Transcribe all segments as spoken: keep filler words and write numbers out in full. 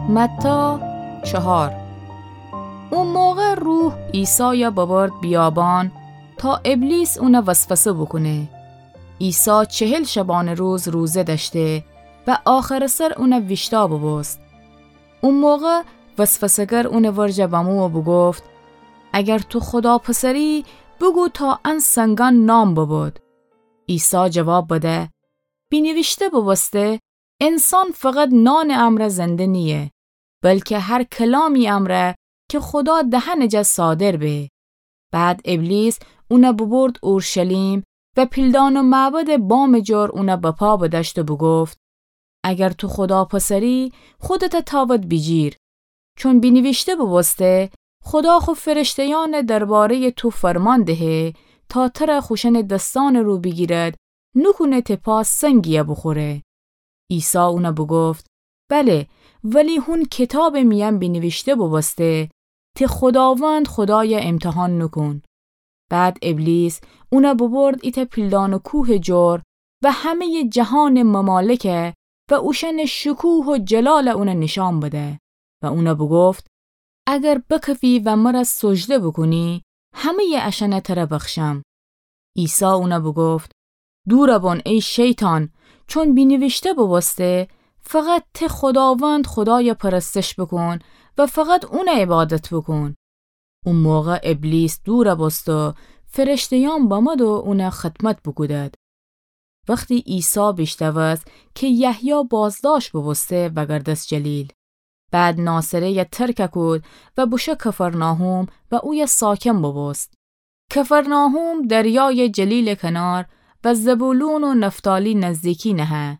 متی چهار. او موقع روح عیسایَ ببرد بیابان تا ابلیس اونَ وسوسه بوکونه. عیسی چهل شبانه‌روز روزه دأشته و آخرٚ سر اونَ ویشتأ بوبوست. او موقع وسوسه‌گر اونٚ ورجه بمو و بوگفت: اگر تو خودا پسری، بوگو تا ان سنگأن نان ببود. عیسی جواب بده: بینیویشته بوبوسته: انسان فقط نانٚ امرأ زنده نییه، بلکه هر کلامی امرأ کی خودا دهنٚ جا صادر به. بعد ابلیس اونَ ببرد اورشلیم و پیلدان و معبدٚ بامٚ جور اونَ بپا بدأشت و بوگفت: اگر تو خودا پسری، خودتَ تأود بیجیر. چون بینیویشته بوبوسته: خودا خو فرشته‌یأنَ درباره‌یٚ تو فرمان دهه تا تره خوشأنٚ دسأنٚ رو بیگیرد، نوکونه ته پا سنگی‌یَ بوخوره. عیسی اونَ بوگفت: بله، ولی هون کیتابٚ میأن بینیویشته بوبوسته: ته خوداوند خودایَ ایمتحان نوکون. بعد ابلیس اونَ ببرد ایتأ پیلدان و کوهٚ جور و همه‌یٚ جهانٚ ممالکَ و اوشأنٚ شکوه و جلالَ اونَ نیشأن بده و اونَ بوگفت: اگر بکفی و مرَ سجده بوکونی، همه‌یٚ اشأنَ تره بخشم. عیسی اونَ بوگفت: دورَ بون ای شیطان، چون بینیویشته بوبوسته: فقط ته خوداوند خودایَ پرستش بوکون و فقط اونَ عبادت بوکون. او موقع ابلیس دورَ بوست و فرشته‌یأن بمد و اونَ خدمت بوکودد. وختی عیسی بیشنوست کی یحیی بازدأشت بوبوسته، وأگردست جلیل. بعد ناصره‌یَ ترکَ کود و بوشو کفرناحوم و اویه ساکن بوبوست. کفرناحوم دریایٚ جلیلٚ کنار و زبولون و نفتالی نزدیکی نهه.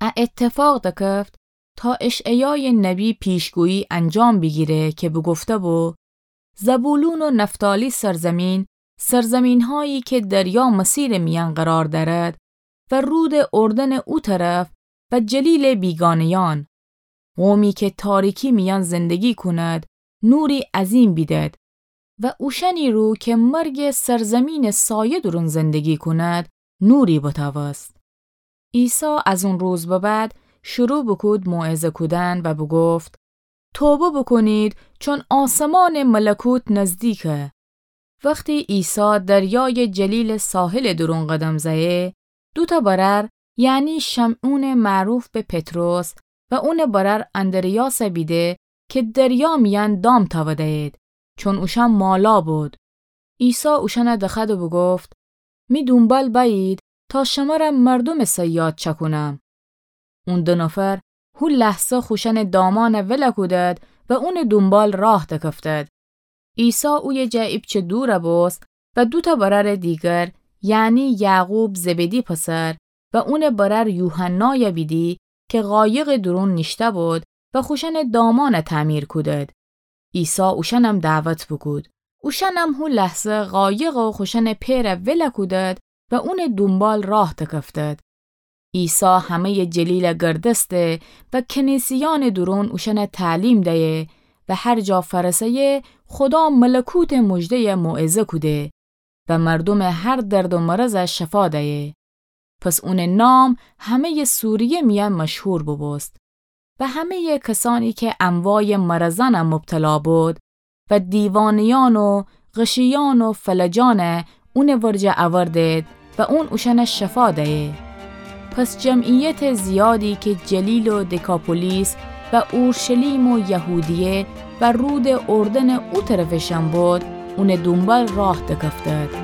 ا اتفاق دکفت تا اشعیایٚ نبی پیشگویی انجام بیگیره کی بوگفته‌بو: زبولون و نفتالی سرزمین، سرزمین‌هایی که دریا مسیرٚ میأن قرار دأرد و رودٚ اردنٚ او طرف و جلیلٚ بیگانه‌یأن، قومی که تاریکی میأن زندگی کند، نوری عظیم بیدد و اوشأنی رو که مرگٚ سرزمینٚ سایه دورون زندگی کند، نوری بتأوست. عیسی از اون روز به بعد شروع بوکود موعظه کودن و بوگفت: توبه بوکونید، چون آسمانٚ ملکوت نزدیکه. وختی عیسی دریایٚ جلیلٚ ساحلٚ دورون قدم زأیه، دوتأ برأر، یعنی شمعونٚ معروف به پطرس و اونٚ برأر اندریاسَ بیده که دریا میأن دام تأوده‌یید، چون اوشأن مالا بود. عیسی اوشأنَ دخوأد و بوگفت: می دونبال بأیید تا شمرَ مردومٚ صیاد چأکونم. اون دو نفر هو لحظه خوشأنٚ دامأنَ ولَ کودد و اونٚ دونبال راه دکفتد. عیسی اویه جا ایپچه دورَ بوست و دوتأ برأرٚ دیگر، یعنی یعقوب زبدی پسر و اونٚ برأر یوحنایَ بیدی که قایقٚ دورون نیشته‌بود و خوشأنٚ دامأنَ تعمیر کودد. عیسی اوشأنم دعوت بوکود. اوشأنم هو لحظه قایق و خوشأنٚ پئرَ ولَ کودد و اونٚ دونبال راه دکفتد. عیسی همه‌یٚ جلیلَ گردسته و کنیسه‌یأنٚ دورون اوشأنَ تعلیم دیه و هر جا فأرسه‌یه، خودا ملکوتٚ مژده‌یَ موعظه کوده و مردومٚ هر درد و مرضَ شفا دیه. پس اونٚ نام همه‌یٚ سوریه میأن مشهور بوبوست. و همه‌یٚ کسأنی که انواعٚ مرضأنَ مبتلا بود و دیوانه‌یأن و غشیأن و فلجأنَ اونٚ ورجه اوردید و اون اوشأنَ شفا دیه. پس جمعیتٚ زیادی که جلیل و دکاپولیس و اورشلیم و یهودیه و رودٚ اردنٚ او طرفٚ شأن بود، اونٚ دونبال راه دکفتد.